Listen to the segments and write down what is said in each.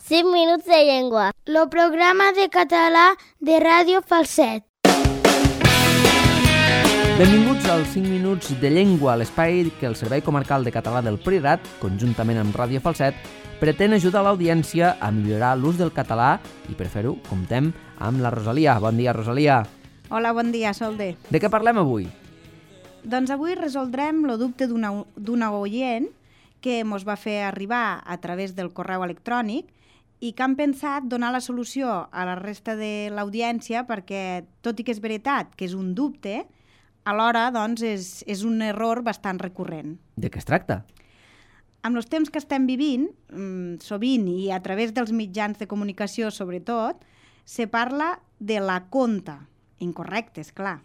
5 minuts de llengua. Lo programa de català de Ràdio Falset. Benvinguts als 5 minuts de llengua, l'espai que el Servei Comarcal de Català del Priorat, conjuntament amb Ràdio Falset, pretén ajudar l'audiència a millorar l'ús del català i per fer-ho comptem amb la Rosalia. Bon dia, Rosalia. Hola, bon dia, Solde. De què parlem avui? Doncs avui resoldrem el dubte d'una oient que ens va fer arribar a través del correu electrònic i que han pensat donar la solució a la resta de l'audiència perquè, tot i que és veritat que és un dubte, alhora doncs, és un error bastant recurrent. De què es tracta? Amb els temps que estem vivint, sovint i a través dels mitjans de comunicació sobretot, se parla de la conta. Incorrecte, és clar.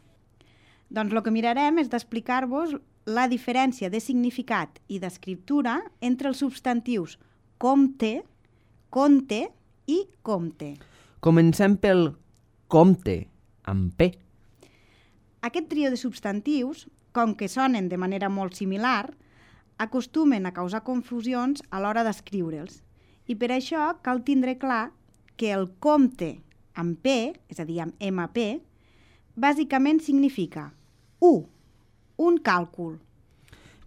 Doncs el que mirarem és d'explicar-vos la diferència de significat i d'escriptura entre els substantius compte, conte i compte. Comencem pel compte, amb P. Aquest trio de substantius, com que sonen de manera molt similar, acostumen a causar confusions a l'hora d'escriure'ls. I per això cal tindre clar que el compte amb P, és a dir, amb MP, bàsicament significa un càlcul.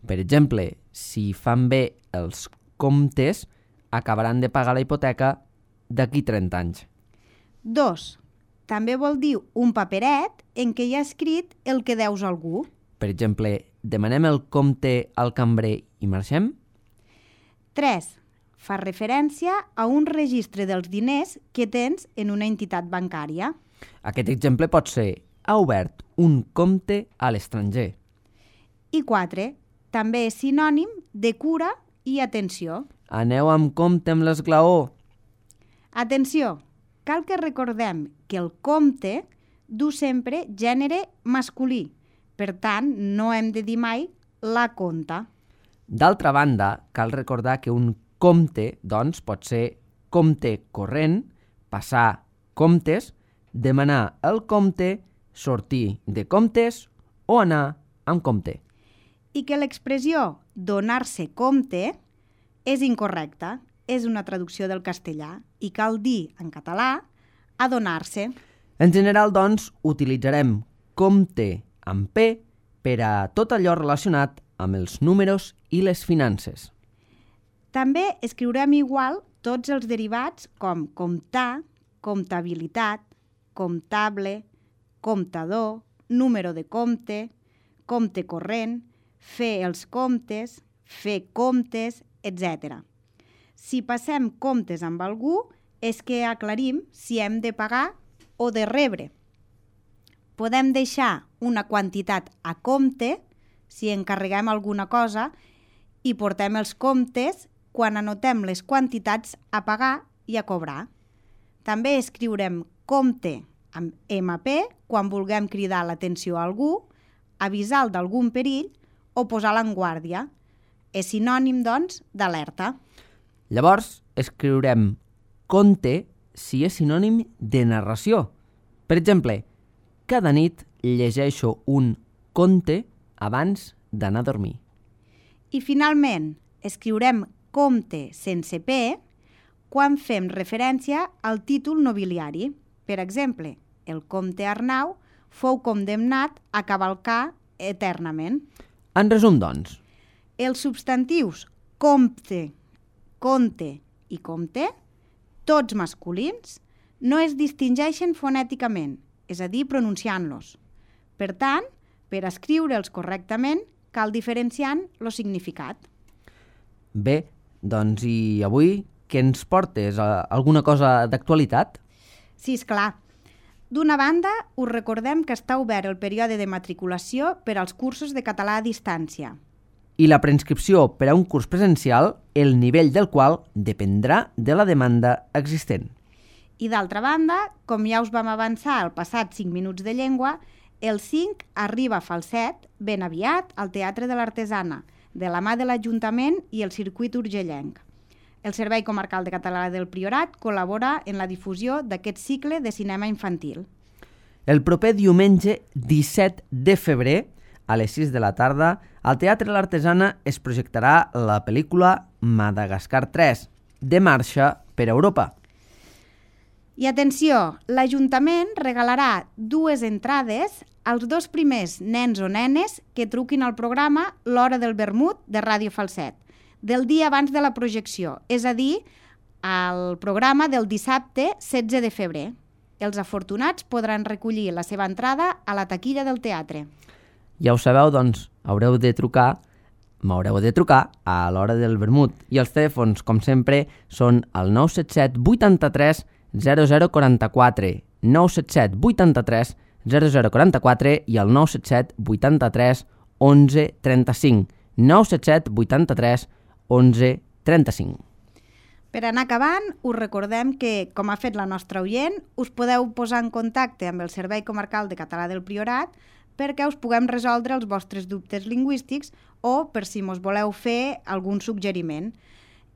Per exemple, si fan bé els comptes, acabaran de pagar la hipoteca d'aquí 30 anys. 2. També vol dir un paperet en què hi ha escrit el que deus a algú. Per exemple, demanem el compte al cambrer i marxem? 3. Fa referència a un registre dels diners que tens en una entitat bancària. Aquest exemple pot ser: ha obert un compte a l'estranger. I 4. També és sinònim de cura i atenció. Aneu amb compte amb l'esglaó. Atenció! Cal que recordem que el compte du sempre gènere masculí. Per tant, no hem de dir mai la conta. D'altra banda, cal recordar que un compte, doncs, pot ser compte corrent, passar comptes, demanar el compte, sortir de comptes o anar amb compte. I que l'expressió donar-se compte és incorrecta, és una traducció del castellà i cal dir en català adonar-se. En general, doncs, utilitzarem compte amb P per a tot allò relacionat amb els números i les finances. També escriurem igual tots els derivats com comptar, comptabilitat, comptable, comptador, número de compte, compte corrent, fer els comptes, fer comptes, etc. Si passem comptes amb algú, és que aclarim si hem de pagar o de rebre. Podem deixar una quantitat a compte si encarreguem alguna cosa i portem els comptes quan anotem les quantitats a pagar i a cobrar. També escriurem compte amb MP quan vulguem cridar l'atenció a algú, avisar d'algun perill o posar-la en guàrdia. És sinònim, doncs, d'alerta. Llavors, escriurem conte si és sinònim de narració. Per exemple, cada nit llegeixo un conte abans d'anar a dormir. I finalment, escriurem compte sense P quan fem referència al títol nobiliari. Per exemple, el comte Arnau fou condemnat a cavalcar eternament. En resum, doncs, Els substantius compte, conte i compte, tots masculins, no es distingeixen fonèticament, és a dir, pronunciant-los. Per tant, per escriure'ls correctament, cal diferenciant el significat. bé, doncs i avui què ens portes? Alguna cosa d'actualitat? Sí, esclar. D'una banda, us recordem que està obert el període de matriculació per als cursos de català a distància. I la preinscripció per a un curs presencial, el nivell del qual dependrà de la demanda existent. I d'altra banda, com ja us vam avançar al passat 5 minuts de llengua, el 5 arriba a Falset ben aviat al Teatre de l'Artesana, de la mà de l'Ajuntament i el Circuit Urgellenc. El Servei Comarcal de Català del Priorat col·labora en la difusió d'aquest cicle de cinema infantil. El proper diumenge 17 de febrer, a les 6 de la tarda, al Teatre L'Artesana es projectarà la pel·lícula Madagascar 3, de marxa per Europa. I atenció, l'Ajuntament regalarà 2 entrades als 2 primers nens o nenes que truquin al programa L'Hora del Vermut de Ràdio Falset, del dia abans de la projecció, és a dir, al programa del dissabte 16 de febrer. Els afortunats podran recollir la seva entrada a la taquilla del teatre. Ja ho sabeu, doncs, m'haureu de trucar a l'Hora del Vermut. I els telèfons, com sempre, són el 977 83 0044, 977 83 0044 i el 977 83 11 35, 977 83 11 35. Per anar acabant, us recordem que, com ha fet la nostra oient, us podeu posar en contacte amb el Servei Comarcal de Català del Priorat perquè us puguem resoldre els vostres dubtes lingüístics o per si mos voleu fer algun suggeriment.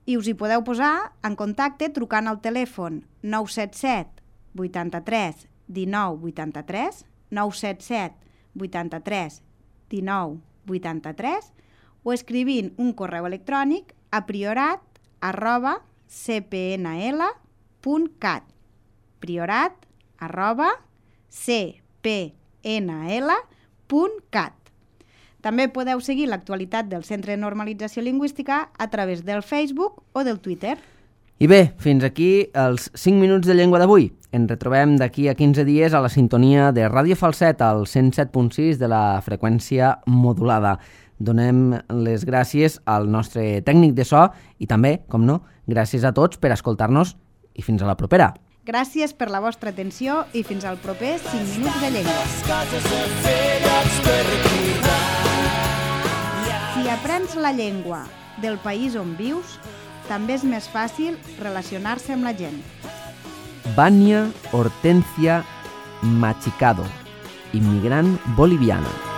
I us hi podeu posar en contacte trucant al telèfon 977 83 19 83, 977 83 19 83 o escrivint un correu electrònic a priorat@cpnl.cat, priorat@cpnl.cat. També podeu seguir l'actualitat del Centre de Normalització Lingüística a través del Facebook o del Twitter. I bé, fins aquí els 5 minuts de llengua d'avui. Ens retrobem d'aquí a 15 dies a la sintonia de Ràdio Falset, al 107.6 de la freqüència modulada. Donem les gràcies al nostre tècnic de so i també, com no, gràcies a tots per escoltar-nos i fins a la propera. Gràcies per la vostra atenció i fins al proper 5 minuts de llengua. Si aprens la llengua del país on vius, també és més fàcil relacionar-se amb la gent. Vania Hortensia Machicado, immigrant boliviana.